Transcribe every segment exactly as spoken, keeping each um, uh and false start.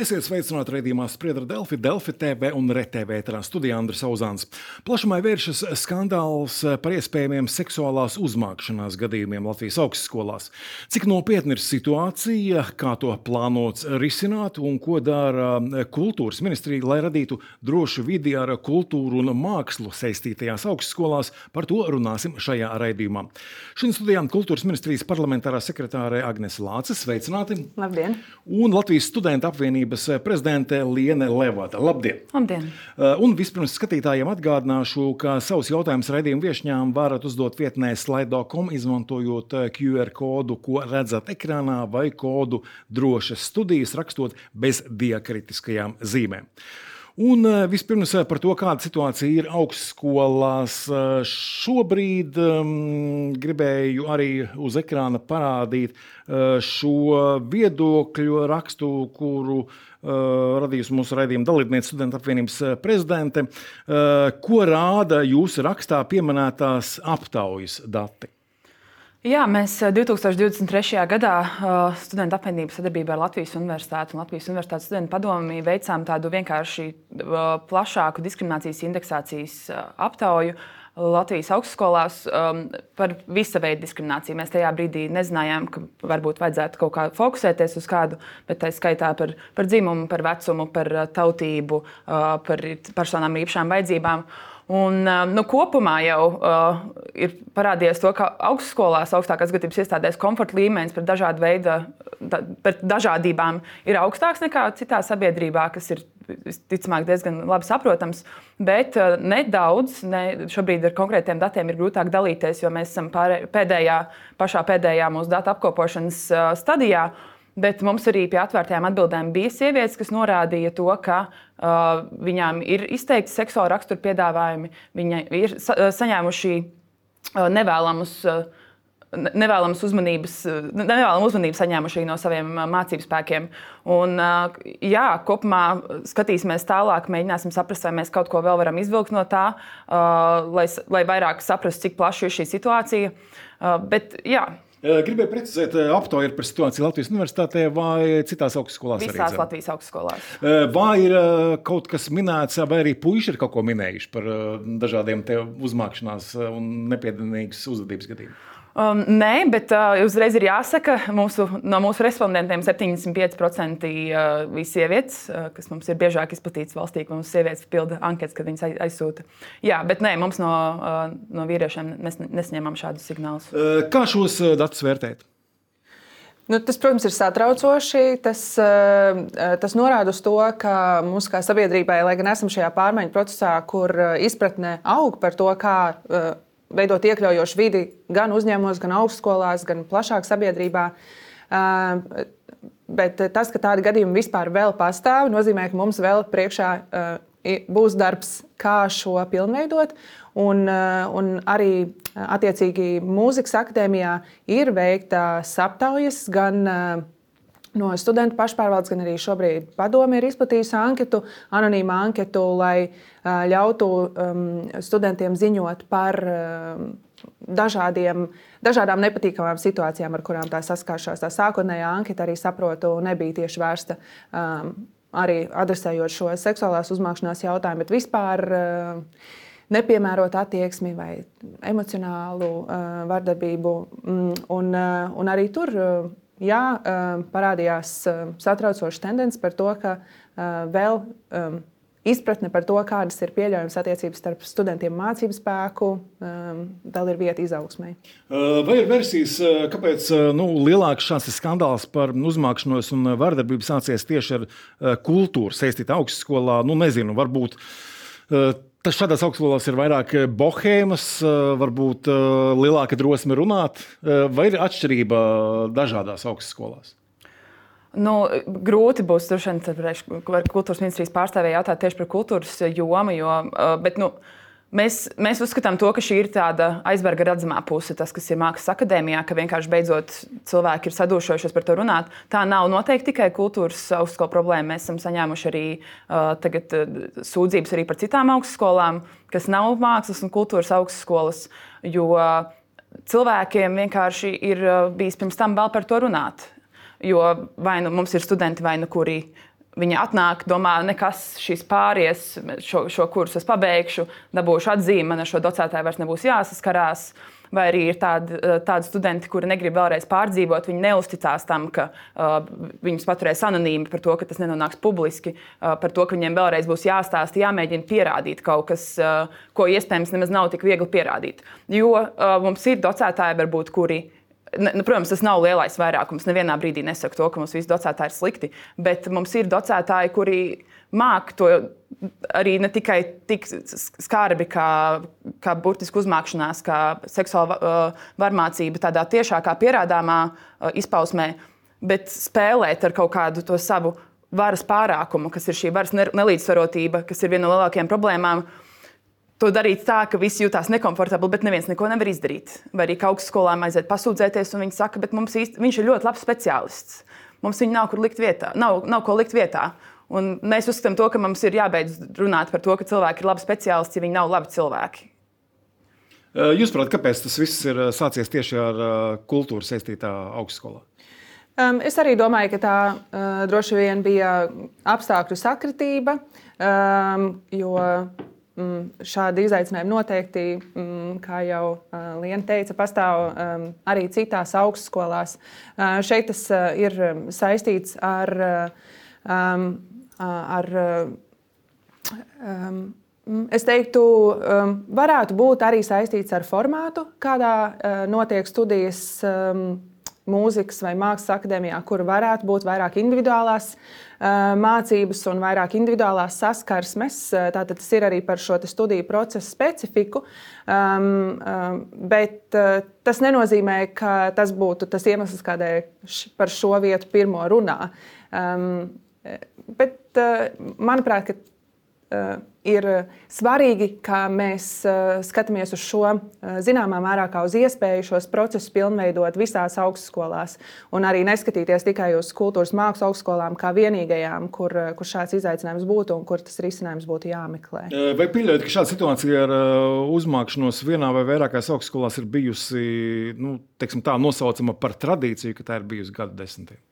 Esiet sveicināti raidījumā Spriedra Delfi, Delfi T V un RTV ēterā studijā Andris Auzāns. Plašumā vēršas skandāls par iespējamiem seksuālās uzmākšanās gadījumiem Latvijas augstskolās. Cik nopietna ir situācija, kā to plānots risināt un ko dara kultūras ministrija, lai radītu drošu vidi ar kultūru un mākslu saistītajās augstskolās, par to runāsim šajā raidījumā. Šodien studijā kultūras ministrijas parlamentārā sekretāre Agnese Lāce, sveicināti. Labdien. Un Latvijas studentu apvienības prezidente Liene Levada. Labdien! Labdien! Un vispirms skatītājiem atgādināšu, ka savus jautājumus raidījumu viešņām varat uzdot vietnē slido punktu com, izmantojot Q R kodu, ko redzat ekrānā, vai kodu drošas studijas, rakstot bez diakritiskajām zīmēm. Un vispirms par to, kāda situācija ir augstskolās šobrīd, gribēju arī uz ekrāna parādīt šo viedokļu rakstu, kuru radījusi mūsu raidījuma dalībniece studentu apvienības prezidente, ko rāda jūsu rakstā pieminētās aptaujas dati. Jā, mēs divi tūkstoši divdesmit trešajā gadā studentu apvienības sadarbībā ar Latvijas Universitāti un Latvijas Universitātes studentu padomi veicām tādu vienkārši plašāku diskriminācijas indeksācijas aptauju Latvijas augstskolās par visa veida diskrimināciju. Mēs tajā brīdī nezinājām, ka varbūt vajadzētu kaut kā fokusēties uz kādu, bet tā skaitā par, par dzimumu, par vecumu, par tautību, par personām ar īpašām vajadzībām. Un, nu, kopumā jau uh, ir parādījies to, ka augstskolās, augstākās izglītības iestādēs komforta līmenis par dažādu veidu, da, par dažādībām ir augstāks nekā citā sabiedrībā, kas ir ticamāk diezgan labi saprotams, bet uh, nedaudz, ne, šobrīd ar konkrētiem datiem ir grūtāk dalīties, jo mēs esam pārē, pēdējā, pašā pēdējā mūsu datu apkopošanas uh, stadijā. Bet mums arī pie atvērtajām atbildēm bija sievietes, kas norādīja to, ka uh, viņām ir izteikti seksuāla rakstura piedāvājumi, viņi ir sa saņēmuši uh, nevēlamus, uh, nevēlamas uzmanības, uh, nevēlamu uzmanību saņēmuši no saviem uh, mācību spēkiem. Un, uh, jā, kopumā skatīsimies tālāk, mēģināsim saprast, vai mēs kaut ko vēl varam izvilkt no tā, uh, lai, lai vairāk saprastu, cik plaša ir šī situācija. Uh, bet, jā. Gribēju precizēt, aptauja ir par situāciju Latvijas Universitātē vai citās augstskolās? Visās arī Latvijas augstskolās. Vai ir kaut kas minēts, vai arī puiši ir kaut ko minējuši par dažādiem te uzmākšanās un nepiedienīgas uzvedības gadījumiem? Um, nē, bet uh, uzreiz ir jāsaka, mūsu, no mūsu respondentiem septiņdesmit pieci procenti uh, bija sievietes, uh, kas mums ir biežāk izplatīts valstī, ka mums sievietes pilda anketas, kad viņas aizsūta. Jā, bet nē, mums no, uh, no vīriešiem mēs nesņēmām šādus signālus. Kā šos datus vērtēt? Nu, tas, protams, ir satraucoši. Tas, tas norāda uz to, ka mums kā sabiedrībai, lai gan esam šajā pārmaiņu procesā, kur izpratne aug par to, kā veidot iekļaujošu vidi gan uzņēmumos, gan augstskolās, gan plašāk sabiedrībā. Bet tas, ka tādi gadījumi vispār vēl pastāv, nozīmē, ka mums vēl priekšā būs darbs, kā šo pilnveidot. Un, un arī attiecīgi mūzikas akadēmijā ir veiktas aptaujas gan no studentu pašpārvaldes, gan arī šobrīd padome ir izplatījusi anketu, anonīmu anketu, lai uh, ļautu um, studentiem ziņot par um, dažādiem, dažādām nepatīkamām situācijām, ar kurām tā saskāršās. Tā sākotnējā anketa, arī saprotu, nebija tieši vērsta um, arī adresējot šo seksuālās uzmākšanās jautājumu, bet vispār uh, nepiemērot attieksmi vai emocionālu uh, vardarbību. Mm, un, uh, un arī tur uh, Jā, parādījās satraucoša tendence par to, ka vēl izpratne par to, kādas ir pieļaujamas attiecības starp studentiem un mācību spēku, vēl ir vieta izaugsmai. Vai ir versijas, kāpēc nu, lielāks šāds skandāls par uzmākšanos un vardarbību sācies tieši ar kultūru saistītā augstskolā? Nu, nezinu, varbūt tas šādās augstskolās ir vairāk bohēmas, varbūt lielāka drosme runāt, vai ir atšķirība dažādās augstskolās? Nu, grūti būs kultūras ministrijas pārstāvēja jautāt tieši par kultūras jomu, jo, bet, nu, Mēs, mēs uzskatām to, ka šī ir tāda aizberga redzamā puse, tas, kas ir mākslas akadēmijā, ka vienkārši beidzot cilvēki ir sadūšojušies par to runāt. Tā nav noteikti tikai kultūras augstskolu problēma. Mēs esam saņēmuši arī uh, tagad, uh, sūdzības arī par citām augstskolām, kas nav mākslas un kultūras augstskolas, jo uh, cilvēkiem vienkārši ir uh, bijis pirms tam vēl par to runāt. Jo vai nu mums ir studenti, vai nu kuri Viņi atnāk, domā, nekas šis pāries, šo, šo kursu es pabeigšu, dabūšu atzīmi, man ar šo docētāju vairs nebūs jāsaskarās. Vai arī ir tādi, tādi studenti, kuri negrib vēlreiz pārdzīvot, viņi neusticās tam, ka uh, viņus paturēs anonīmi par to, ka tas nenonāks publiski, uh, par to, ka viņiem vēlreiz būs jāstāsta, jāmēģina pierādīt kaut kas, uh, ko iespējams nemaz nav tik viegli pierādīt. Jo uh, mums ir docētāji, varbūt, kuri. Ne, protams, tas nav lielais vairākums. Nevienā brīdī nesaku to, ka mums visi docētāji ir slikti, bet mums ir docētāji, kuri māk to arī ne tikai tik skarbi kā, kā burtiski uzmākšanās, kā seksuāla uh, varmācība tādā tiešākā pierādāmā uh, izpausmē, bet spēlēt ar kaut kādu to savu varas pārākumu, kas ir šī varas nelīdzsvarotība, kas ir viena no lielākajām problēmām. To darīt tā, ka visi jūtās nekomfortabli, bet neviens neko nevar izdarīt. Vai arī ka augstskolām aiziet pasūdzēties, un viņi saka, bet mums īsti, viņš ir ļoti labs speciālists. Mums viņu nav kur likt vietā, nav, nav ko likt vietā. Un mēs uzskatām to, ka mums ir jābeidz runāt par to, ka cilvēki ir labi speciālisti, ja viņi nav labi cilvēki. Jūs saprotat, kāpēc tas viss ir sācies tieši ar kultūru saistītā augstskolā? Um, es arī domāju, ka tā uh, droši vien bija apstākļu sakritība, um, jo Mm, šādi izaicinājumi noteikti, mm, kā jau uh, Liena teica, pastāv um, arī citās augstskolās. Uh, šeit tas uh, ir saistīts ar, um, ar um, es teiktu, um, varētu būt arī saistīts ar formātu, kādā uh, notiek studijas um, mūzikas vai mākslas akadēmijā, kur varētu būt vairāk individuālās uh, mācības un vairāk individuālās saskarsmes. Tātad tas ir arī par šo studiju procesu specifiku. Um, um, bet uh, tas nenozīmē, ka tas būtu tas iemesls, kādēļ par šo vietu pirmo runā. Um, bet, uh, manuprāt, ka Uh, ir svarīgi, ka mēs uh, skatāmies uz šo uh, zināmā mērā kā uz iespēju šos procesus pilnveidot visās augstskolās un arī neskatīties tikai uz kultūras mākslas augstskolām kā vienīgajām, kur, kur šāds izaicinājums būtu un kur tas risinājums būtu jāmeklē. Vai pieļaujat, ka šāda situācija ar uzmākšanos vienā vai vairākās augstskolās ir bijusi, nu, teiksim tā, nosaucama par tradīciju, ka tā ir bijusi gadu desmitiem?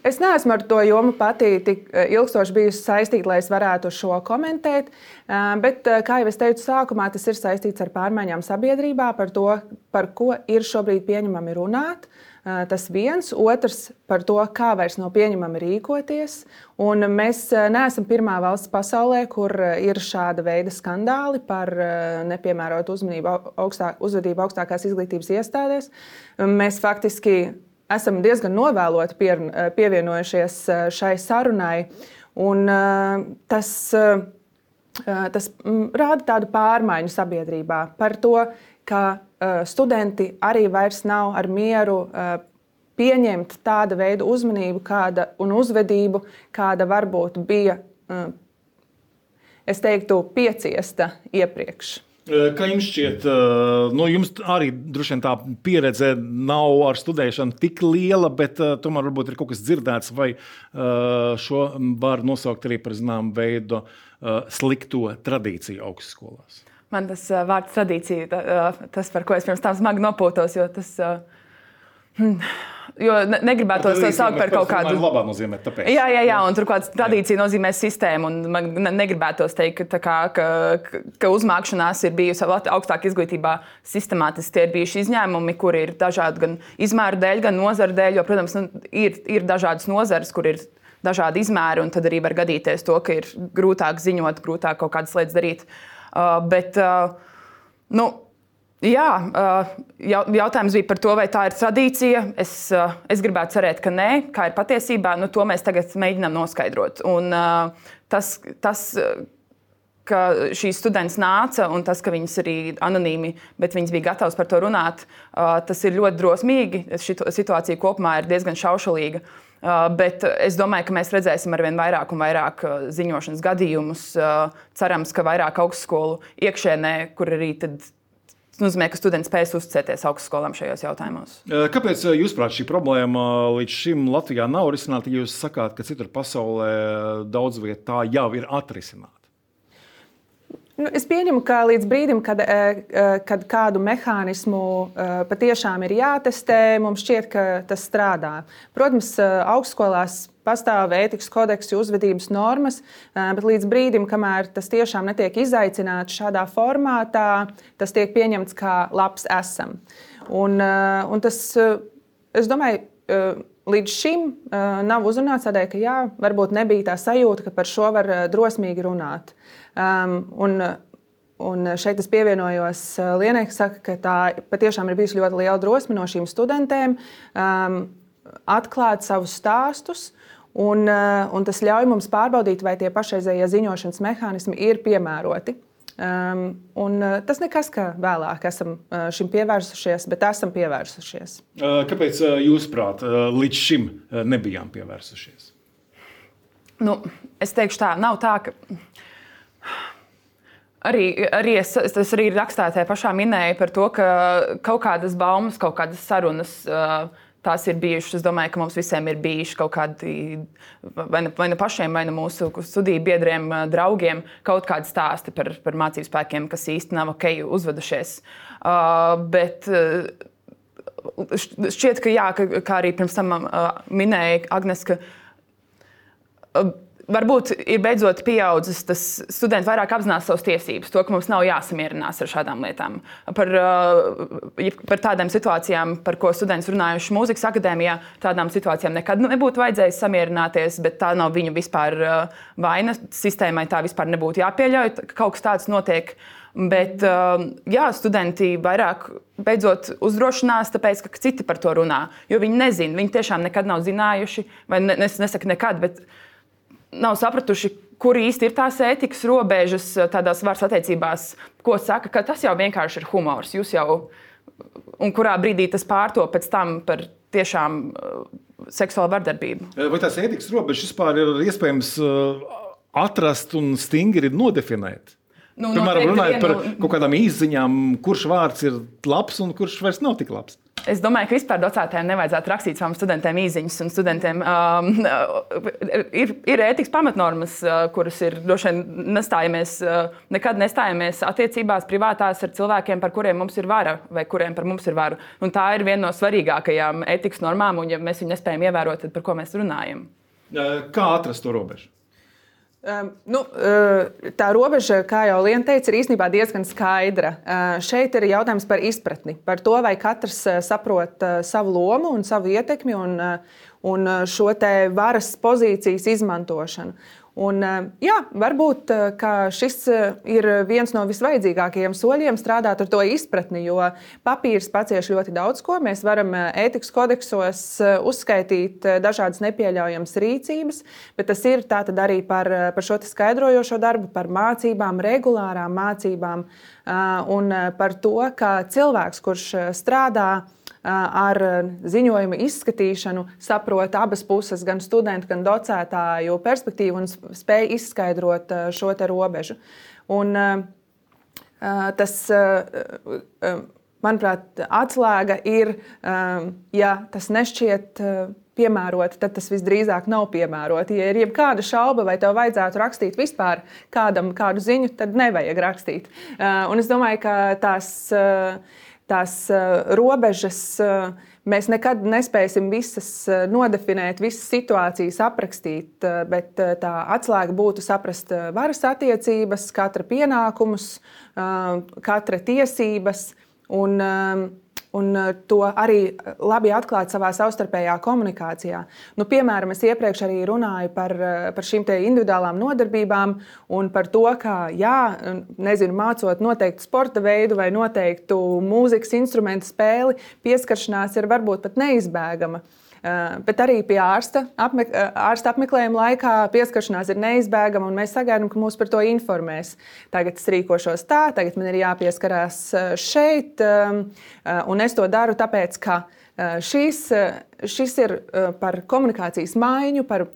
Es neesmu ar to jomu pati tik ilgstoši bijusi saistīta, lai es varētu šo komentēt, bet, kā jau es teicu sākumā, tas ir saistīts ar pārmaiņām sabiedrībā, par to, par ko ir šobrīd pieņemami runāt. Tas viens, otrs par to, kā vairs nav pieņemami rīkoties. Un mēs neesam pirmā valsts pasaulē, kur ir šāda veida skandāli par nepiemērotu uzmanību augstā, uzvedību augstākās izglītības iestādēs. Mēs faktiski esam diezgan novēloti pie, pievienojušies šai sarunai, un tas, tas rāda tādu pārmaiņu sabiedrībā par to, ka studenti arī vairs nav ar mieru pieņemt tāda veida uzmanību kāda, un uzvedību, kāda varbūt bija, es teiktu, pieciesta iepriekš. Kā jums šķiet, nu, jums arī droši vien tā pieredze nav ar studēšanu tik liela, bet tomēr varbūt ir kaut kas dzirdēts, vai šo var nosaukt arī par zināmu veidu slikto tradīciju augstskolās? Man tas vārds tradīcija, tas, par ko es pirms tam smagi nopūtos, jo tas... Hmm. Jo negribētos to saukt par kaut kādu... Labā nozīmē, tāpēc. Jā, jā, jā, un turklāt tradīcija nozīmē sistēmu, un man negribētos teikt, ka, kā, ka, ka uzmākšanās ir bijusi augstāk izglītībā sistemātiski. Tie ir bijuši izņēmumi, kuri ir dažādi gan izmēru dēļ, gan nozaru dēļ, jo, protams, nu, ir, ir dažādas nozares, kur ir dažādi izmēri, un tad arī var gadīties to, ka ir grūtāk ziņot, grūtāk kaut kādas lietas darīt. Uh, bet, uh, nu, Jā, jautājums bija par to, vai tā ir tradīcija. Es, es gribētu cerēt, ka nē, kā ir patiesībā. Nu, to mēs tagad mēģinām noskaidrot. Un, tas, tas, ka šīs students nāca un tas, ka viņas arī anonīmi, bet viņas bija gatavas par to runāt, tas ir ļoti drosmīgi. Šī situācija kopumā ir diezgan šaušalīga. Bet es domāju, ka mēs redzēsim arvien vairāk un vairāk ziņošanas gadījumus. Cerams, ka vairāk augstskolu iekšēnē, kur arī tad tas nozīmē, ka studenti spēs uzticēties augstskolām šajos jautājumos. Kāpēc, jūsuprāt, šī problēma līdz šim Latvijā nav risināta, ja jūs sakāt, ka citur pasaulē daudz viet tā jau ir atrisināta? Nu, es pieņemu, ka līdz brīdim, kad, kad kādu mehānismu patiešām ir jātestē, mums šķiet, ka tas strādā. Protams, augstskolās pastāv ētikas kodeksi, uzvedības normas, bet līdz brīdim, kamēr tas tiešām netiek izaicināts šādā formātā, tas tiek pieņemts kā labs esam. Un, un tas, es domāju, līdz šim nav uzrunāts tādēļ, ka jā, varbūt nebija tā sajūta, ka par šo var drosmīgi runāt. Um, un, un šeit es pievienojos Lienai, kas saka, ka tā patiešām ir bijusi ļoti liela drosme no šīm studentēm um, atklāt savus stāstus, un, uh, un tas ļauj mums pārbaudīt, vai tie pašreizējie ziņošanas mehānismi ir piemēroti. Um, un uh, tas nekas, ka vēlāk esam uh, šim pievērsušies, bet esam pievērsušies. Kāpēc jūsuprāt līdz šim nebijām pievērsušies? Nu, es teikšu tā, nav tā, ka Arī, arī es, es arī rakstā tajā pašā minēju par to, ka kaut kādas baumas, kaut kādas sarunas, tās ir bijušas. Es domāju, ka mums visiem ir bijuši kaut kādi, vai ne, vai ne pašiem, vai ne mūsu studiju biedriem, draugiem, kaut kādi stāsti par, par mācību spēkiem, kas īsti nav ok uzvedušies. Uh, bet uh, šķiet, ka jā, ka, kā arī pirms tam uh, minēja Agnes, ka uh, varbūt ir beidzot pieaudzis tas studenti vairāk apzinās savas tiesības, to, ka mums nav jāsamierinās ar šādām lietām. Par, par tādām situācijām, par ko studenti runājuši mūzikas akadēmijā, tādām situācijām nekad nebūtu vajadzējis samierināties, bet tā nav viņu vispār vaina. Sistēmai tā vispār nebūtu jāpieļauj, ka kaut kas tāds notiek. Bet jā, studenti vairāk beidzot uzdrošinās, tāpēc, ka citi par to runā. Jo viņi nezina, viņi tiešām nekad nav zinājuši, vai es nesaku nekad, bet nav sapratuši, kur īsti ir tās ētikas robežas tādās varas attiecībās, ko saka, ka tas jau vienkārši ir humors. Jūs jau, un kurā brīdī tas pārto pēc tam par tiešām seksuālu vardarbību. Vai tās ētikas robežas vispār ir iespējams atrast un stingri nodefinēt? Nu, Piemēram, runājot par kaut kādām izziņām, kurš vārds ir labs un kurš vairs nav tik labs. Es domāju, ka vispār docētājiem nevajadzētu rakstīt saviem studentiem īziņas, un studentiem um, ir, ir ētikas pamatnormas, uh, kuras ir droši vien nestājamies, uh, nekad nestājamies attiecībās privātās ar cilvēkiem, par kuriem mums ir vara, vai kuriem par mums ir varu. Un tā ir viena no svarīgākajām ētikas normām, un ja mēs viņu nespējam ievērot, tad par ko mēs runājam? Kā atrast to robežu? Um, nu, uh, tā robeža, kā jau Liena teica, ir īstenībā diezgan skaidra. Uh, šeit ir jautājums par izpratni, par to, vai katrs uh, saprot uh, savu lomu un savu ietekmi un, uh, un šo te varas pozīcijas izmantošanu. Un, uh, jā, varbūt uh, ka šis uh, ir viens no visvajadzīgākajiem soļiem strādāt ar to izpratni, jo papīrs pacieš ļoti daudz ko. Mēs varam uh, ētikas kodeksos uh, uzskaitīt uh, dažādas nepieļaujamas rīcības, bet tas ir tātad arī par, uh, par šo skaidrojošo darbu, par mācībām, regulārām mācībām uh, un uh, par to, ka cilvēks, kurš uh, strādā ar ziņojumu izskatīšanu, saprot abas puses, gan studentu, gan docētāju perspektīvu un spēj izskaidrot šo te robežu. Un tas, manuprāt, atslēga ir, ja tas nešķiet piemēroti, tad tas visdrīzāk nav piemēroti. Ja ir jebkāda šauba, vai tev vajadzētu rakstīt vispār kādam kādu ziņu, tad nevajag rakstīt. Un es domāju, ka tās Tās uh, robežas uh, mēs nekad nespēsim visas uh, nodefinēt, visas situācijas aprakstīt, uh, bet uh, tā atslēga būtu saprast uh, varas attiecības, katra pienākumus, uh, katra tiesības un, uh, un uh, to arī labi atklāt savā savstarpējā komunikācijā. Nu, piemēram, es iepriekš arī runāju par, uh, par šīm te individuālām nodarbībām un par to, ka, jā, nezinu, mācot noteiktu sporta veidu vai noteiktu mūzikas instrumentu spēli, pieskaršanās ir varbūt pat neizbēgama. Uh, bet arī pie ārsta, apme, uh, ārsta apmeklējuma laikā pieskaršanās ir neizbēgama, un mēs sagaidām, ka mūs par to informēs. Tagad es rīkošos tā, tagad man ir jāpieskarās šeit, um, uh, un es to daru tāpēc, ka uh, šīs uh, šis ir par komunikācijas maiņu, par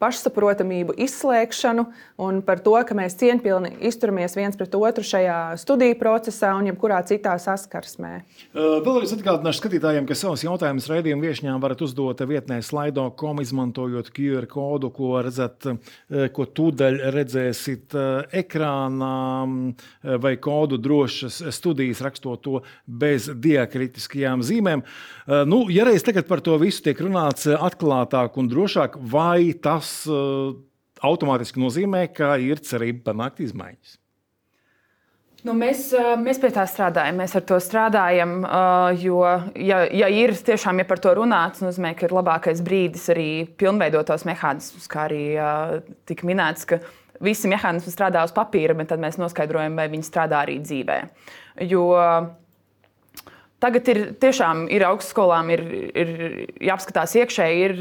pašsaprotamību, izslēgšanu un par to, ka mēs cieņpilni izturamies viens pret otru šajā studiju procesā un jebkurā citā saskarsmē. Vēlreiz atgādināšu skatītājiem, ka savus jautājumus raidījumu viešņām varat uzdot vietnē slido punktu com, izmantojot Q R kodu, ko redzat, ko tūdaļ redzēsit ekrānā, vai kodu drošas studijas, rakstot to bez diakritiskajām zīmēm. Nu, ja reiz tagad par to visu tiek runāts atklātāk un drošāk, vai tas uh, automātiski nozīmē, ka ir cerība panākt izmaiņas? Nu, mēs, mēs pie tā strādājam, mēs ar to strādājam, jo, ja, ja ir tiešām, ja par to runāts, nozīmē, ka ir labākais brīdis arī pilnveidot tos mehānismus, kā arī tika minēts, ka visi mehānismi strādā uz papīra, bet tad mēs noskaidrojam, vai viņi strādā arī dzīvē. Jo tagad ir tiešām ir augstskolām ir, ir jāapskatās iekšēji, ir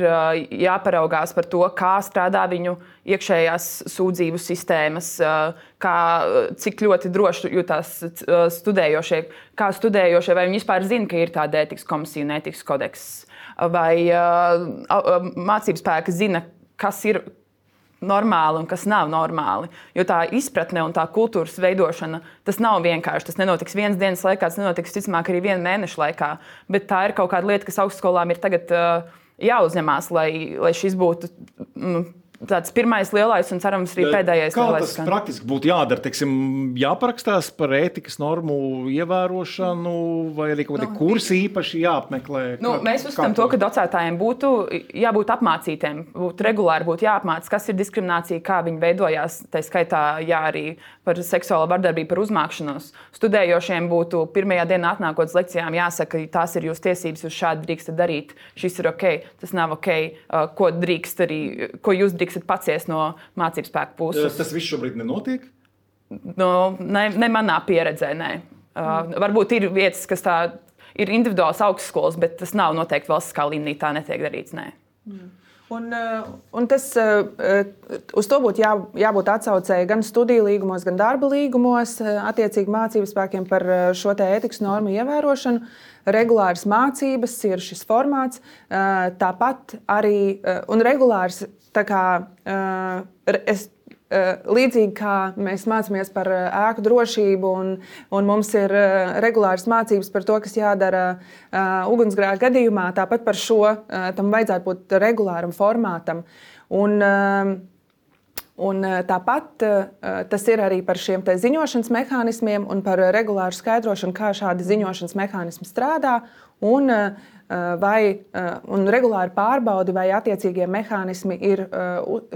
jāparaugās par to, kā strādā viņu iekšējās sūdzību sistēmas, kā, cik ļoti droši jūtās studējošie, kā studējošie, vai viņi vispār zina, ka ir tāda ētikas komisija un ētikas kodeks, vai mācību spēki zina, kas ir normāli un kas nav normāli. Jo tā izpratne un tā kultūras veidošana, tas nav vienkārši. Tas nenotiks vienas dienas laikā, tas nenotiks, visticamāk, arī viena mēneša laikā. Bet tā ir kaut kāda lieta, kas augstskolām ir tagad uh, jāuzņemās, lai, lai šis būtu mm, tāds pirmais lielais un cerams arī pēdējais kā lielais. Kā tas praktiski būtu jādara? Teiksim, jāparakstās par ētikas normu ievērošanu vai arī kaut kādi no, kursi īpaši jāapmeklē? Nu, kā, mēs uzskatām to, ka docētājiem būtu jābūt apmācītiem, būtu regulāri būtu jāapmāc, kas ir diskriminācija, kā viņi veidojās, tā skaitā jā, arī par seksuālo vardarbību, par uzmākšanos. Studējošiem būtu pirmajā dienā atnākot uz lekcijām jāsaka, tās ir jūsu tiesības, jūs šādi drīkstat darīt, šis ir ok, tas nav ok, ko drīkst arī, ko jūs drīkstat paciest no mācību spēku puses. Tas viss šobrīd nenotiek? No, ne, ne manā pieredzē, nē. Uh, varbūt ir vietas, kas tā ir individuāls augstskolas, bet tas nav noteikti valstiskā līmenī, tā netiek darīts, nē. Mm. Un, un tas, uz to būtu jā, jābūt atsaucēji gan studiju līgumos, gan darba līgumos, attiecīgi mācību spēkiem par šo te ētikas normu ievērošanu. Regulāras mācības ir šis formāts, tāpat arī, un regulārs, tā kā, es, līdzīgi kā mēs mācāmies par ēku drošību un, un mums ir regulāras mācības par to, kas jādara uh, ugunsgrēka gadījumā, tāpat par šo uh, tam vajadzētu būt regulāram formātam. Un, uh, un tāpat uh, tas ir arī par šiem te ziņošanas mehānismiem un par regulāru skaidrošanu, kā šādi ziņošanas mehānismi strādā un uh, vai un regulāri pārbaudi, vai attiecīgie mehānismi ir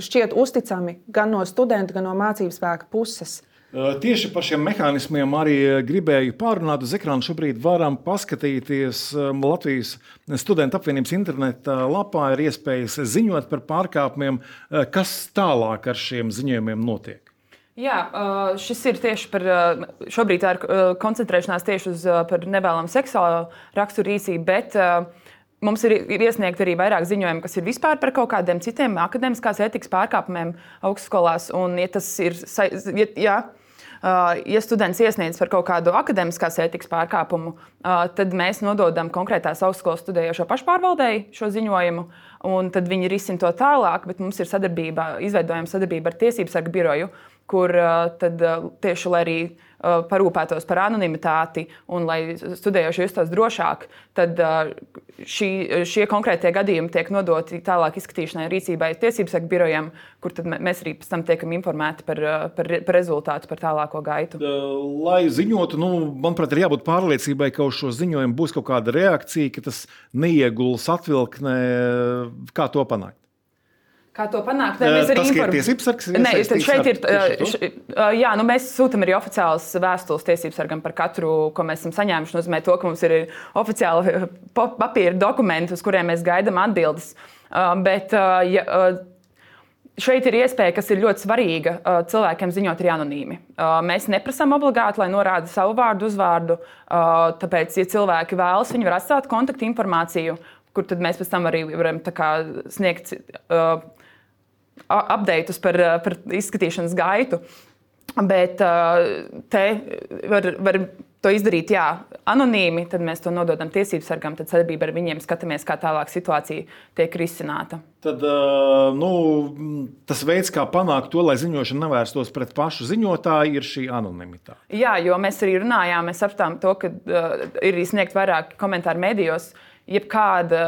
šķiet uzticami gan no studenta, gan no mācību spēka puses. Tieši par šiem mehānismiem arī gribēju pārunāt. Uz ekrāna šobrīd varam paskatīties Latvijas studentu apvienības interneta lapā. Ir iespējas ziņot par pārkāpumiem. Kas tālāk ar šiem ziņojumiem notiek? Jā, šis ir tieši par, šobrīd tā ir koncentrēšanās tieši uz par nevēlamu seksuālo raksturu rīcību, bet mums ir iesniegti arī vairāk ziņojumi, kas ir vispār par kaut kādiem citiem akadēmiskās ētikas pārkāpumiem augstskolās. Un, ja tas ir, ja, ja students iesniedz par kaut kādu akadēmiskās ētikas pārkāpumu, tad mēs nododam konkrētās augstskolas studējošo pašpārvaldēji šo ziņojumu, un tad viņi risina to tālāk, bet mums ir sadarbība, izveidojama sadarbība ar Tiesības sarga biroju, kur tad tieši, lai arī parūpētos par anonimitāti un lai studējošie justos drošāk, tad šī, šie konkrētie gadījumi tiek nodoti tālāk izskatīšanai rīcībai Tiesības sarga birojam, kur tad mēs arī pēc tam tiekam informēti par, par, par rezultātu, par tālāko gaitu. Lai ziņotu, nu, manuprāt, ir jābūt pārliecībai, ka uz šo ziņojumu būs kaut kāda reakcija, ka tas neieguls atvilknē, kā to panākt. Kā to panākt? Ne, mēs arī tas, inform... ka ir Tiesības sargs? Nē, šeit ir, š, jā, nu mēs sūtam arī oficiālas vēstules Tiesības sargam par katru, ko mēs esam saņēmuši. Nozīmē to, ka mums ir oficiāli papīra dokumenti, uz kuriem mēs gaidām atbildes. Bet ja, šeit ir iespēja, kas ir ļoti svarīga, cilvēkiem ziņot arī anonīmi. Mēs neprasām obligāti, lai norāda savu vārdu, uzvārdu. Tāpēc, ja cilvēki vēlas, viņi var atstāt kontaktu informāciju, kur tad mēs pēc tam arī varam tā kā sniegt uh, updateus par, par izskatīšanas gaitu. Bet uh, te var, var to izdarīt jā, anonīmi, tad mēs to nododam tiesību sargam, tad sadarbībā ar viņiem skatāmies, kā tālāk situācija tiek risināta. Tad nu, tas veids, kā panākt to, lai ziņošana nevērstos pret pašu ziņotāju, ir šī anonimitāte. Jā, jo mēs arī runājām, mēs apstām to, ka uh, ir izsniegt vairāk komentāru medijos, jebkāda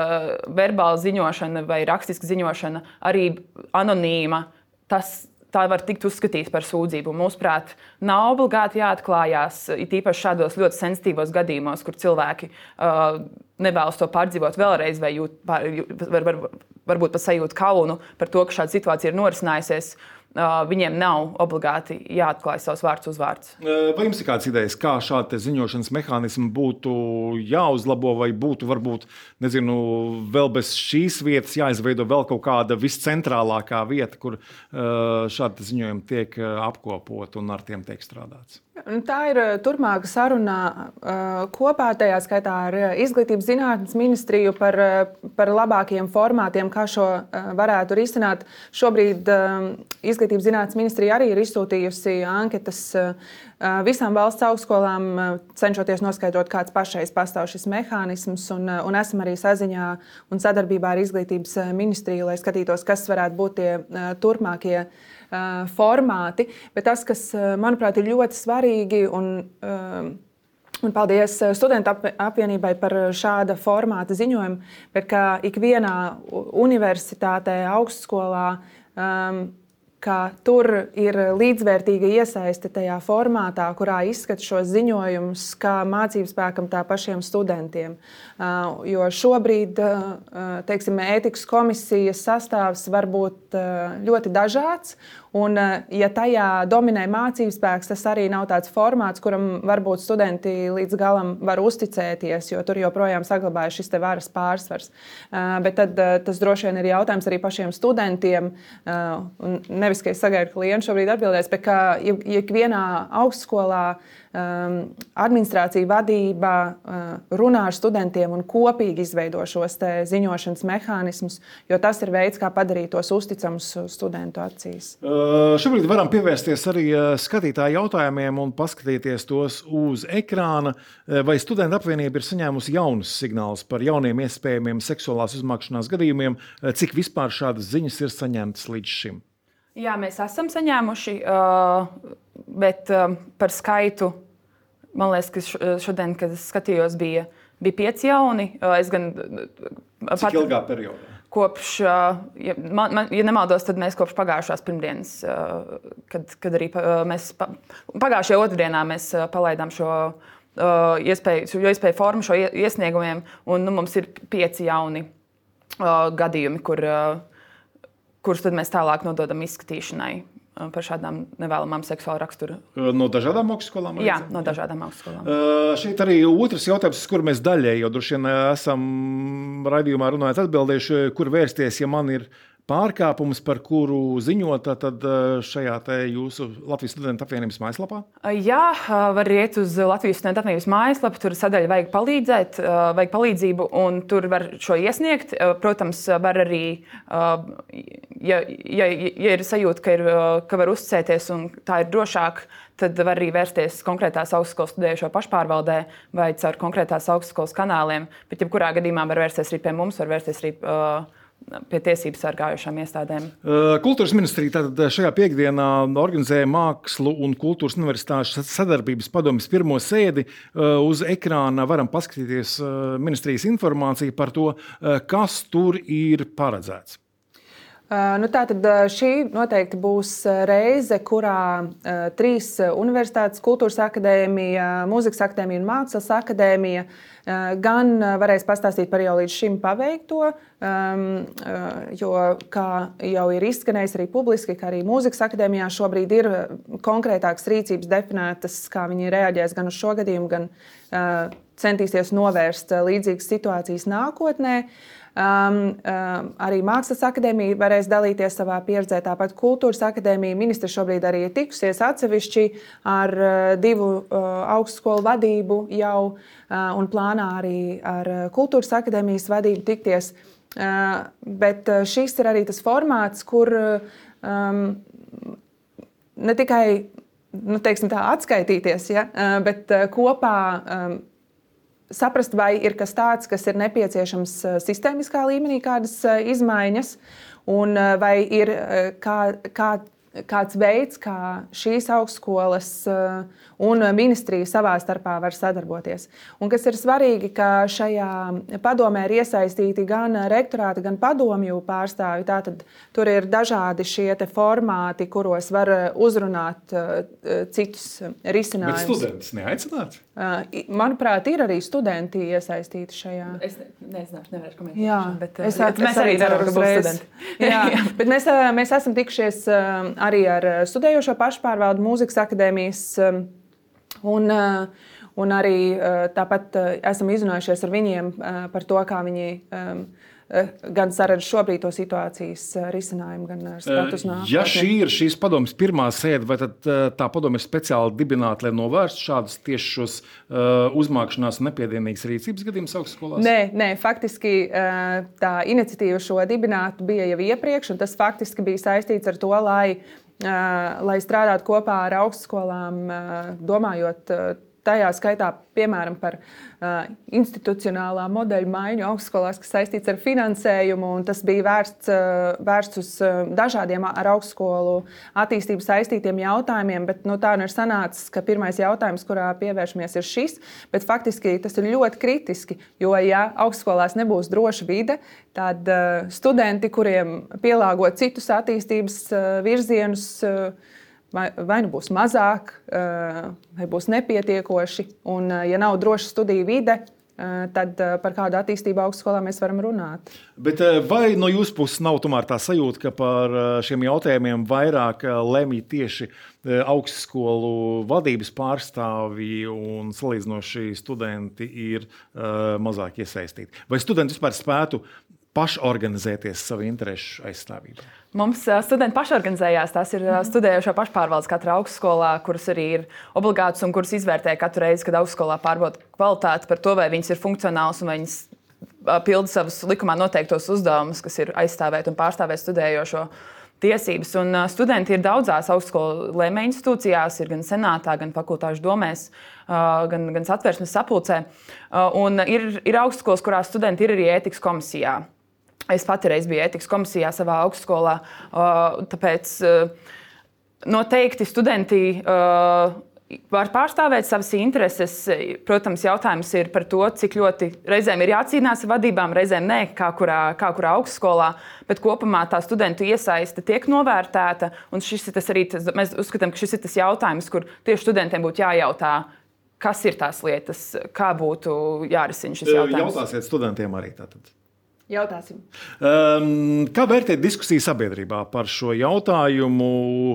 verbāla ziņošana vai rakstiska ziņošana, arī anonīma, tas tā var tikt uzskatīta par sūdzību. Mūsuprāt, nav obligāti jāatklājās, it īpaši šādos ļoti sensitīvos gadījumos, kur cilvēki uh, nevēlas to pārdzīvot vēlreiz vai jūt, pār, var, var, varbūt pat sajūt kaunu par to, ka šāda situācija ir norisinājusies. Uh, viņiem nav obligāti jāatklāj savs vārds uzvārds. Vai jums ir kādas idejas, kā šādi ziņošanas mehānismi būtu jāuzlabo, vai būtu varbūt, nezinu, vēl bez šīs vietas jāizveido vēl kaut kāda viscentrālākā vieta, kur uh, šādi ziņojumi tiek apkopot un ar tiem tiek strādāts? Tā ir turpmāka saruna kopā, tajā skaitā ar Izglītības zinātnes ministriju par, par labākiem formātiem, kā šo varētu risināt. Šobrīd Izglītības zinātnes ministrija arī ir izsūtījusi anketas visām valsts augstskolām, cenšoties noskaidrot, kāds pašreiz pastāv šis mehānisms, un, un esam arī saziņā un sadarbībā ar Izglītības ministriju, lai skatītos, kas varētu būt tie turpmākie formāti, bet tas, kas, manuprāt, ir ļoti svarīgi, un, un paldies Studentu apvienībai par šāda formāta ziņojumu, bet ka ikvienā universitātē, augstskolā, ka tur ir līdzvērtīga iesaiste tajā formātā, kurā izskata šos ziņojumus kā mācību spēkam, tā pašiem studentiem. Jo šobrīd, teiksim, ētikas komisijas sastāvs var būt ļoti dažāds, un, ja tajā dominē mācību spēks, tas arī nav tāds formāts, kuram varbūt studenti līdz galam var uzticēties, jo tur joprojām saglabājas šis te varas pārsvars. Bet tad tas droši vien ir jautājums arī pašiem studentiem, un nevis, ka es sagaidu, ka Liena šobrīd atbildēs, bet ka ikvienā augstskolā administrācija, vadība runā ar studentiem un kopīgi izveido šos te ziņošanas mehānismus, jo tas ir veids, kā padarīt tos uzticamus studentu acīs. Uh, šobrīd varam pievērsties arī skatītāju jautājumiem un paskatīties tos uz ekrāna. Vai Studentu apvienība ir saņēmusi jaunus signālus par jauniem iespējamiem seksuālās uzmākšanās gadījumiem? Cik vispār šādas ziņas ir saņemtas līdz šim? Jā, mēs esam saņēmuši, bet par skaitu, man liekas, ka šodien, kad es skatījos, bija, bija pieci jauni. Es gan, Cik pat, ilgā periodā? Kopš, ja, man, ja nemaldos, tad mēs kopš pagājušās pirmdienas, kad, kad arī mēs pagājušajā otrdienā mēs palaidām šo iespēju, šo iespēju formu, šo iesniegumiem, un nu, mums ir pieci jauni gadījumi, kur kurus tad mēs tālāk nododam izskatīšanai par šādām nevēlamām seksuāla rakstura. No dažādām augstskolām? Jā, no dažādām augstskolām. Uh, šeit arī otrs jautājums, kur mēs daļēji, jo droši vien esam raidījumā runājot atbildējuši, kur vērsties, ja man ir pārkāpums, par kuru ziņot, tad šajā te jūsu Latvijas Studentu apvienības mājaslapā? Jā, var iet uz Latvijas Studentu apvienības mājaslapu, tur sadaļa vajag palīdzēt, vajag palīdzību, un tur var šo iesniegt. Protams, var arī, ja, ja, ja ir sajūta, ka, ir, ka var uzticēties un tā ir drošāk, tad var arī vērsties konkrētās augstskolas studējušo pašpārvaldē vai caur konkrētās augstskolas kanāliem, bet jebkurā gadījumā var vērsties arī pie mums, var vērsties arī pie tiesības sargājušām iestādēm. Kultūras ministrija tātad šajā piekdienā organizēja Mākslu un kultūras universitāšu sadarbības padomes pirmo sēdi. Uz ekrāna varam paskatīties ministrijas informāciju par to, kas tur ir paredzēts. Nu, tātad šī noteikti būs reize, kurā uh, trīs universitātes, Kultūras akadēmija, Mūzikas akadēmija un Mākslas akadēmija uh, gan varēs pastāstīt par jau līdz šim paveikto, um, uh, jo, kā jau ir izskanējis arī publiski, ka arī Mūzikas akadēmijā šobrīd ir konkrētākas rīcības definētas, kā viņi reaģēs gan uz šo gadījumu, gan uh, centīsies novērst līdzīgas situācijas nākotnē. Um, um, arī Mākslas akadēmija varēs dalīties savā pieredzē, tāpat Kultūras akadēmija. Ministrs šobrīd arī ir tikusies atsevišķi ar uh, divu uh, augstskolu vadību jau uh, un plānā arī ar Kultūras akadēmijas vadību tikties. Uh, bet šis ir arī tas formāts, kur um, ne tikai nu, teiksim tā, atskaitīties, ja? Bet kopā um, saprast, vai ir kas tāds, kas ir nepieciešams sistēmiskā līmenī, kādas izmaiņas, un vai ir kā, kā kāds veids, kā šīs augstskolas un ministrija savā starpā var sadarboties. Un kas ir svarīgi, ka šajā padomē ir iesaistīti gan rektorāti, gan padomju pārstāvji. Tātad tur ir dažādi šie te formāti, kuros var uzrunāt citus risinājumus. Bet studentus neaicināts? Manuprāt, ir arī studenti iesaistīti šajā. Es ne, nezināšu, nevarēšu komentēt. Jā, bet, es, bet es mēs arī ceram, ka būs studenti. Jā, bet mēs, mēs esam tikušies arī ar studējošo pašpārvaldu mūzikas akadēmijas un, un arī tāpat esam izrunājušies ar viņiem par to, kā viņi gan saredz šobrīd to situācijas risinājumu, gan status nākotnē. Ja šī ir šīs padomes pirmā sēde, vai tad tā padome ir speciāli dibināta, lai novērstu šādus tieši šos uh, uzmākšanās nepiedienīgas rīcības gadījumus augstskolās? Nē, nē, faktiski tā iniciatīva šo dibinātu bija jau iepriekš, un tas faktiski bija saistīts ar to, lai, lai strādātu kopā ar augstskolām, domājot tajā skaitā, piemēram, par uh, institucionālā modeļa maiņu augstskolās, kas saistīts ar finansējumu, un tas bija vērsts, uh, vērsts uz uh, dažādiem ar augstskolu attīstību saistītiem jautājumiem, bet nu, tā nu ir sanācis, ka pirmais jautājums, kurā pievēršamies, ir šis, bet faktiski tas ir ļoti kritiski, jo, ja augstskolās nebūs droša vide, tad uh, studenti, kuriem pielāgot citus attīstības uh, virzienus, uh, Vai, vai nu būs mazāk, vai būs nepietiekoši. Un, ja nav droša studiju vide, tad par kādu attīstību augstskolā mēs varam runāt. Bet vai no jūsu puses nav tomēr tā sajūta, ka par šiem jautājumiem vairāk lemj tieši augstskolu vadības pārstāvji un salīdzinoši studenti ir mazāk iesaistīti? Vai studenti vispār spētu pašorganizēties savu interešu aizstāvībā? Mums studenti pašorganizējās. Tās ir studējošo pašpārvaldes katrā augstskolā, kuras arī ir obligātas un kuras izvērtē katru reizi, kad augstskolā pārbauda kvalitāti par to, vai viņas ir funkcionāls un vai viņas pilda savus likumā noteiktos uzdevumus, kas ir aizstāvēt un pārstāvēt studējošo tiesības. Un studenti ir daudzās augstskolu lēmēju institūcijās, ir gan senātā, gan fakultāšu domēs, gan, gan satversmes sapulcē. Un ir, ir augstskolas, kurās studenti ir arī ētikas komisijā. Es pati reiz biju ētikas komisijā savā augstskolā, tāpēc noteikti studenti var pārstāvēt savas intereses. Protams, jautājums ir par to, cik ļoti reizēm ir jācīnās ar vadībām, reizēm nē, kā kurā, kā kurā augstskolā, bet kopumā tā studentu iesaiste tiek novērtēta, un šis ir tas arī, tas, mēs uzskatām, ka šis ir tas jautājums, kur tieši studentiem būtu jājautā, kas ir tās lietas, kā būtu jārisina šis jautājums. Jautāsiet studentiem arī tātad. Jautāsim. Um, kā vērtēt diskusiju sabiedrībā par šo jautājumu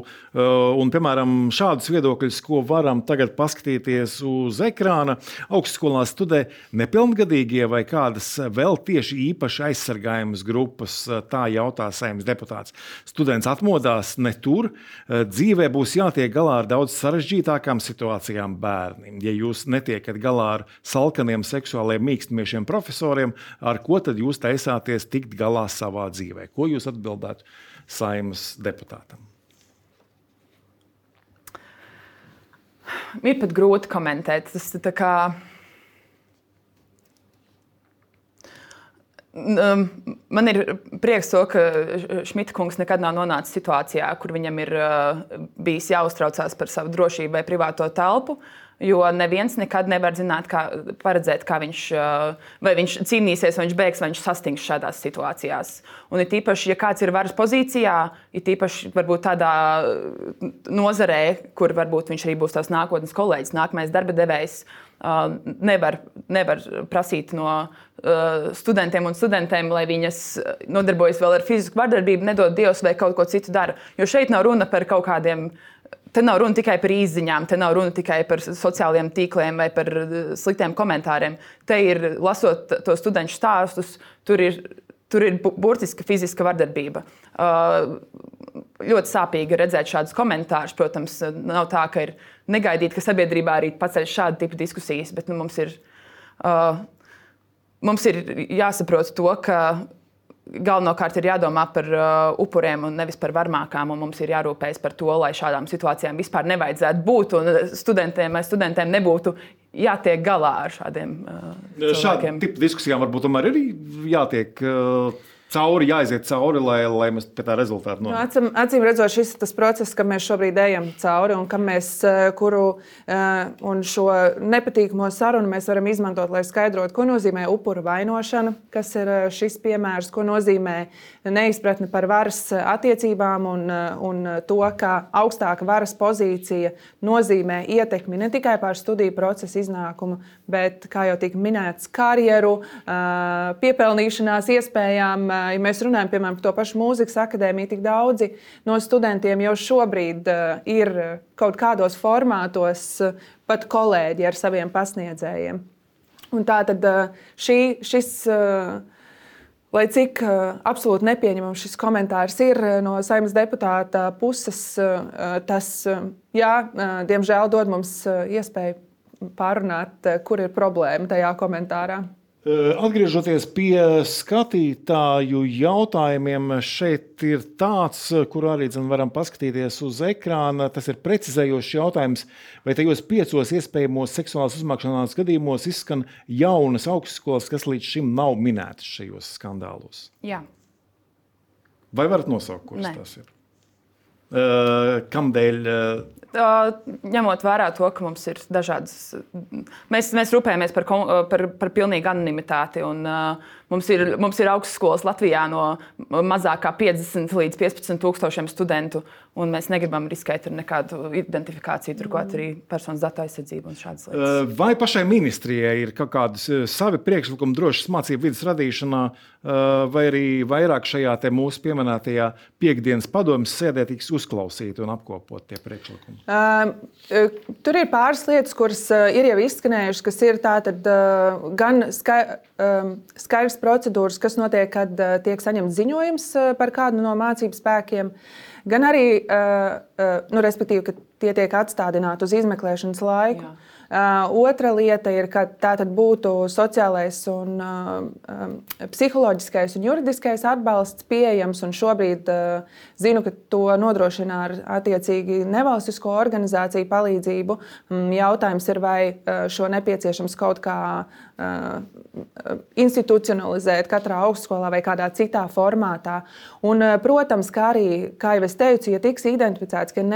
uh, un, piemēram, šādus viedokļus, ko varam tagad paskatīties uz ekrāna? Augstskolā studē nepilngadīgie vai kādas vēl tieši īpaši aizsargājamas grupas, tā jautā Saeimas deputāts. Students atmodās ne tur, dzīvē būs jātiek galā ar daudz sarežģītākām situācijām bērniem. Ja jūs netiekat galā ar salkaniem seksuāliem mīkstamiešiem profesoriem, ar ko tad jūs taisāt tikt galā savā dzīvē? Ko jūs atbildētu Saeimas deputātam? Ir pat grūti komentēt. Tas tā kā man ir prieks to, ka Šmita kungs nekad nav nonācis situācijā, kur viņam ir bijis jāuztraucās par savu drošību vai privāto telpu. Jo neviens nekad nevar zināt, kā, paredzēt, kā viņš, vai viņš cīnīsies, vai viņš bēgs, vai viņš sastings šādās situācijās. Un ir tīpaši, ja kāds ir varas pozīcijā, ir tīpaši varbūt tādā nozarē, kur varbūt viņš arī būs tās nākotnes kolēģis, nākamais darba devējs, nevar, nevar prasīt no studentiem un studentēm, lai viņas nodarbojas vēl ar fizisku vardarbību, nedod Dievs vai kaut ko citu dara. Jo šeit nav runa par kaut kādiem. Te nav runa tikai par izziņām, te nav runa tikai par sociālajiem tīkliem vai par sliktiem komentāriem. Te ir, lasot to studentu stāstus, tur ir, tur ir burtiska fiziska vardarbība. Uh, ļoti sāpīgi redzēt šādus komentārus. Protams, nav tā, ka ir negaidīt, ka sabiedrībā arī paceļ šādu tipu diskusijas, bet nu, mums, ir, uh, mums ir jāsaprot to, ka galvenokārt ir jādomā par uh, upuriem un nevis par varmākām. Mums ir jārūpējas par to, lai šādām situācijām vispār nevajadzētu būt un studentiem vai studentiem nebūtu jātiek galā ar šādiem uh, cilvēkiem. Šādu tipu diskusijām varbūt tomēr ir jātiek uh, cauri, jāiziet cauri, lai, lai mēs pie tā rezultātu nonāktu. Acīm, acīm redzot, šis ir tas process, kam mēs šobrīd ejam cauri un kam mēs, kuru un šo nepatīkamo sarunu mēs varam izmantot, lai skaidrotu, ko nozīmē upura vainošana, kas ir šis piemērs, ko nozīmē neizpratne par varas attiecībām un, un to, ka augstāka varas pozīcija nozīmē ietekmi ne tikai pār studiju procesu iznākumu, bet, kā jau tika minēts, karjeru, piepelnīšanās iespējām. Ja mēs runājam, piemēram, par to pašu mūzikas akadēmiju, tik daudzi no studentiem jau šobrīd uh, ir kaut kādos formātos uh, pat kolēģi ar saviem pasniedzējiem. Un tā tad uh, šī, šis, uh, lai cik uh, absolūti nepieņemams šis komentārs ir uh, no Saeimas deputāta puses, uh, tas, uh, jā, uh, diemžēl dod mums uh, iespēju pārunāt, uh, kur ir problēma tajā komentārā. Atgriežoties pie skatītāju jautājumiem, šeit ir tāds, kur arī varam paskatīties uz ekrāna. Tas ir precizējošs jautājums, vai tajos piecos iespējamos seksuālās uzmākšanās gadījumos izskan jaunas augstskolas, kas līdz šim nav minētas šajos skandālos? Jā. Vai varat nosaukt, kuras Nē. tas ir? Uh, kamdēļ? Uh, Ņemot vērā to, ka mums ir dažādas, mēs, mēs rūpējamies par, par, par pilnīgu anonimitāti. Un, uh, mums, ir, mums ir augstskolas Latvijā no mazāk kā piecdesmit līdz piecpadsmit tūkstošiem studentu, un mēs negribam riskēt ar nekādu identifikāciju, turklāt arī personas datu aizsardzību un šādas lietas. Uh, vai pašai ministrijai ir kaut kādas savi priekšlikumi drošas mācību vidas radīšanā, uh, vai arī vairāk šajā te mūsu pieminētajā piekdienas padomes sēdē tiks uzklausīti un apkopot tie priekšlikumi? Uh, tur ir pāris lietas, kuras uh, ir jau izskanējušas, kas ir tātad uh, gan skai, uh, skaidrs procedūras, kas notiek, kad uh, tiek saņemts ziņojums uh, par kādu no mācību spēkiem, gan arī, uh, uh, nu, respektīvi, ka tie tiek atstādināti uz izmeklēšanas laiku. Jā. Uh, otra lieta ir, ka tā tad būtu sociālais un uh, um, psiholoģiskais un juridiskais atbalsts pieejams, un šobrīd uh, zinu, ka to nodrošina ar attiecīgi nevalstisko organizāciju palīdzību. Um, jautājums ir, vai uh, šo nepieciešams kaut kā uh, institucionalizēt katrā augstskolā vai kādā citā formātā. Un, uh, protams, kā arī, kā jau es teicu, ja tiks identificēts, ka ir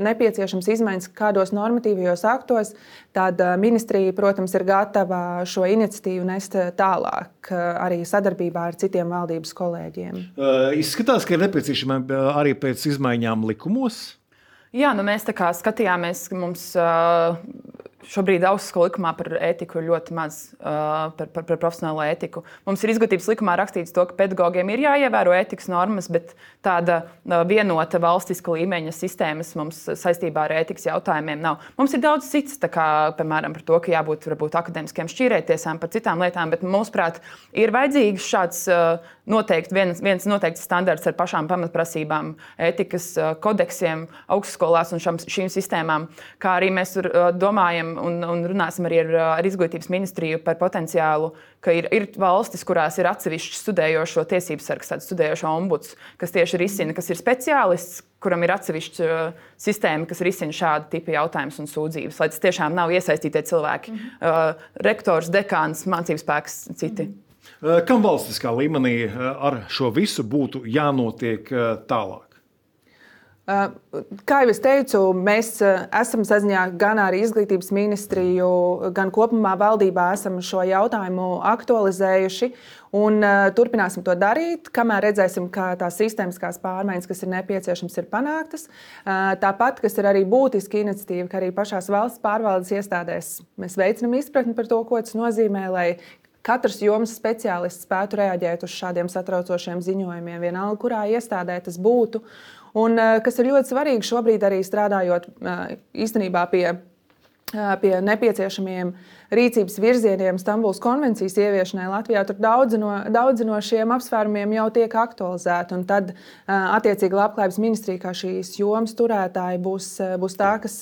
nepieciešams izmaiņas kādos normatīvajos aktos, tad ministrija, protams, ir gatava šo iniciatīvu nest tālāk arī sadarbībā ar citiem valdības kolēģiem. Uh, izskatās, ka ir nepieciešama arī pēc izmaiņām likumos? Jā, nu mēs tā kā skatījāmies, ka mums uh, šobrīd augstskolas likumā par ētiku ir ļoti maz, uh, par, par, par profesionālo ētiku. Mums ir izglītības likumā rakstīts to, ka pedagogiem ir jāievēro ētikas normas, bet tāda uh, vienota valstiska līmeņa sistēmas mums saistībā ar ētikas jautājumiem nav. Mums ir daudz cits, tā kā, piemēram, par to, ka jābūt varbūt akadēmiskiem šķīrētiesām par citām lietām, bet mūsuprāt ir vajadzīgs šāds uh, noteikti viens, viens noteikts standarts ar pašām pamatprasībām, ētikas uh, kodeksiem augstskolās un šam, šīm sistēmām, kā arī mēs tur, uh, domājam un, un runāsim arī ar, ar izglītības ministriju par potenciālu, ka ir, ir valstis, kurās ir atsevišķi studējošo tiesības sargs, tāds studējošo ombuds, kas tieši risina, kas ir speciālists, kuram ir atsevišķa uh, sistēma, kas risina šādu tipu jautājumus un sūdzības, lai tas tiešām nav iesaistītie cilvēki, mm-hmm. uh, rektors, dekāns, mācības spēks, citi. Mm-hmm. Kam valstiskā līmenī ar šo visu būtu jānotiek tālāk? Kā jau es teicu, mēs esam saziņā gan ar izglītības ministriju, gan kopumā valdībā esam šo jautājumu aktualizējuši un turpināsim to darīt, kamēr redzēsim, ka tās sistēmiskās pārmaiņas, kas ir nepieciešamas, ir panāktas. Tāpat, kas ir arī būtiska iniciatīva, ka arī pašās valsts pārvaldes iestādēs mēs veicinam izpratni par to, ko tas nozīmē, lai katrs jomas speciālists spētu reaģēt uz šādiem satraucošiem ziņojumiem, vienalga, kurā iestādē tas būtu. Un, kas ir ļoti svarīgi šobrīd arī strādājot īstenībā pie, pie nepieciešamiem rīcības virzieniem Stambulas konvencijas ieviešanai Latvijā, tur daudzi no, daudzi no šiem apsvērumiem jau tiek aktualizēti. Un tad attiecīgi Labklājības ministrija, kā šīs jomas turētāji, būs, būs tā, kas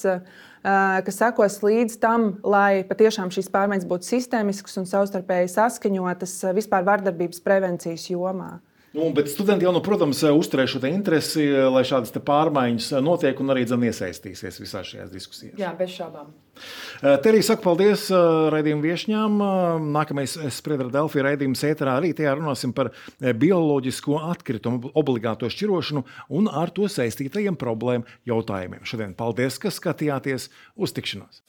kas sekos līdz tam, lai patiešām šīs pārmaiņas būtu sistēmiskas un savstarpēji saskaņotas vispār vardarbības prevencijas jomā. Nu, bet studenti jau, nu, protams, uzturēs šo interesi, lai šādas pārmaiņas notiek un arī dzen iesaistīsies visās šajās diskusijās. Jā, bez šaubām. Terija saka paldies raidījuma viešņām. Nākamais Spriedra Delfi raidījums ēterā arī tajā runāsim par bioloģisko atkritumu obligāto šķirošanu un ar to saistītajiem problēmu jautājumiem. Šodien paldies, ka skatījāties. Uz tikšanos!